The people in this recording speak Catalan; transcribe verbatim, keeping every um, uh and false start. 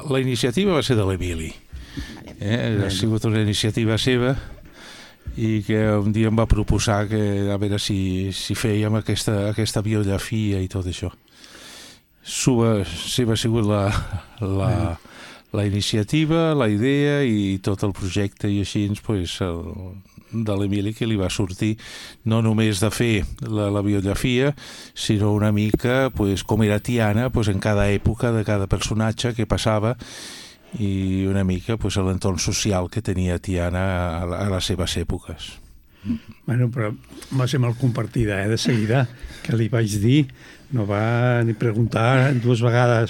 la iniciativa va ser de l'Emili. Eh? Ha sigut una iniciativa seva i que un dia em va proposar que a veure si, si fèiem aquesta, aquesta biografia i tot això. Seva, seva ha sigut la, la, la iniciativa, la idea i tot el projecte i així pues, el, de l'Emili que li va sortir no només de fer la, la biografia, sinó una mica pues, com era Tiana pues, en cada època de cada personatge que passava i una mica pues, l'entorn social que tenia Tiana a, a les seves èpoques. Bueno, però va ser molt compartida, eh, de seguida, que li vaig dir, no va ni preguntar dues vegades